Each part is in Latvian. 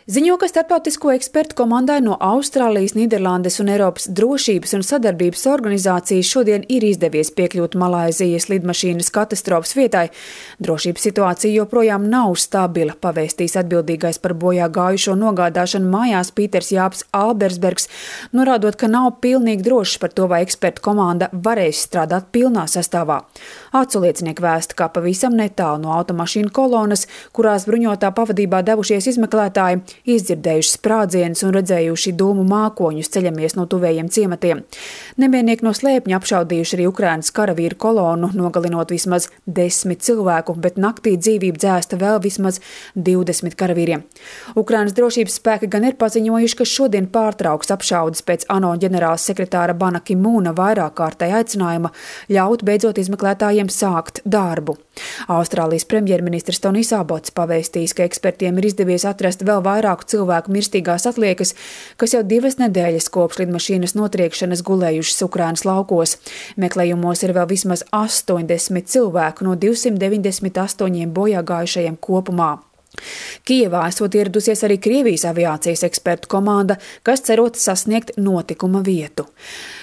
Ziņo, ka starptautisko ekspertu komandai no Austrālijas, Nīderlandes un Eiropas drošības un sadarbības organizācijas šodien ir izdevies piekļūt Malaizijas lidmašīnas katastrofas vietai. Drošības situācija joprojām nav stabila, pavēstīs atbildīgais par bojā gājušo nogādāšanu mājās Pīters Jāps Albersbergs, norādot, ka nav pilnīgi drošs par to, vai ekspertu komanda varēs strādāt pilnā sastāvā. Aculiecinieki vēsta, ka pavisam netālu no automašīnu kolonas, kurās bruņotā pavadībā devušies izmeklētāji, izdzirdējuši sprādzienus un redzējuši dūmu mākoņus ceļamies no tuvējiem ciematiem. Nemienieki no slēpņa apšaudījuši arī Ukrainas karavīru kolonu, nogalinot vismaz 10 cilvēku, bet naktī dzīvību dzēsta vēl vismaz 20 karavīriem. Ukrainas drošības spēki gan ir paziņojuši, ka šodien pārtrauks apšaudes pēc ANO ģenerāla sekretāra Bana Ki-mūna vairāk kārtēja aicinājuma ļaut beidzot izmeklētājiem sākt darbu. Austrālijas premjerministrs Tonijs Abots pavēstījis, ka ekspertiem ir izdevies atrast vēl vairāku cilvēku mirstīgās atliekas, kas jau 2 nedēļas kopš lidmašīnas notriekšanas gulējušas Ukrainas laukos. Meklējumos ir vēl vismaz 80 cilvēku no 298 bojāgājušajiem kopumā. Kijevā esot ieradusies arī Krievijas aviācijas ekspertu komanda, kas cerot sasniegt notikuma vietu.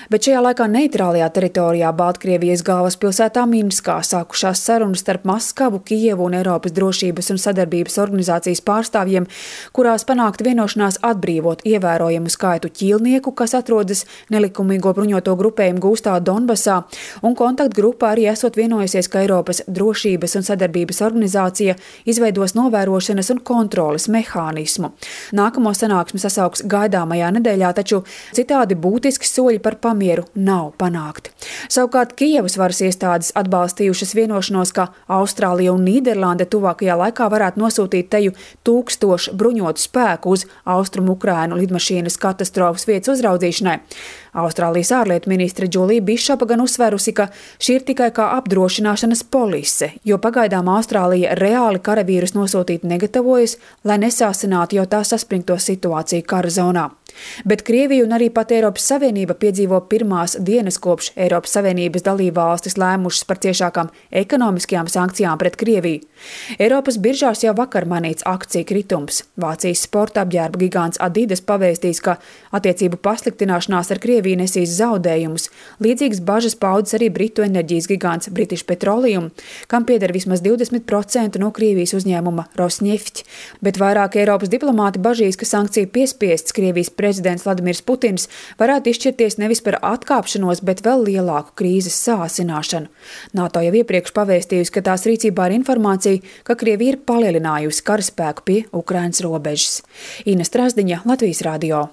Bet šajā laikā neitrālajā teritorijā Baltkrievijas galvaspilsētā Minskā sākušās sarunas starp Maskavu, Kijevu un Eiropas drošības un sadarbības organizācijas pārstāvjiem, kurās panākt vienošanās atbrīvot ievērojamu skaitu ķīlnieku, kas atrodas nelikumīgo bruņoto grupējumu gūstā Donbasā, un kontaktgrupā arī esot vienojusies, ka Eiropas drošības un sadarbības organizācija izveidos novērošanas un kontroles mehānismu. Nākamo sanāksmi sasauks gaidāmajā nedēļā, taču citādi būtiski soļi par mieru nav panākti. Savukārt Kijevas varas iestādes atbalstījušas vienošanos, ka Austrālija un Nīderlande tuvākajā laikā varētu nosūtīt teju 1000 bruņotu spēku uz Austrumu Ukrainu lidmašīnas katastrofas vietas uzraudzīšanai. Austrālijas ārlietu ministre Džulija Bišopa gan uzsverusi, ka šī ir tikai kā apdrošināšanas polise, jo pagaidām Austrālija reāli karavīrus nosūtīt negatavojas, lai nesāsinātu jau tā saspringto situāciju kara zonā. Bet Krievija un arī pat Eiropas Savienība piedzīvo pirmās dienas kopš Eiropas Savienības dalībvalstis lēmušas par ciešākām ekonomiskajām sankcijām pret Krieviju. Eiropas biržās jau vakar manīts akciju kritums. Vācijas sporta apģērba gigants Adidas pavēstīs, ka attiecību pasliktināšanās ar Krieviju nesīs zaudējumus. Līdzīgas bažas paudas arī britu enerģijas gigants British Petroleum, kam pieder vismaz 20% no Krievijas uzņēmuma Rosneft. Bet vairāk Eiropas diplomāti bažīs, ka sankciju piespiests Krievijas prezidents Vladimirs Putins varētu izšķirties nevis par atkāpšanos, bet vēl lielāku krīzes sāsināšanu. NATO jau iepriekš pavēstījusi, ka tās rīcībā ir informācija, ka Krievija ir palielinājusi karaspēku pie Ukrainas robežas. Ina Strasdiņa, Latvijas radio.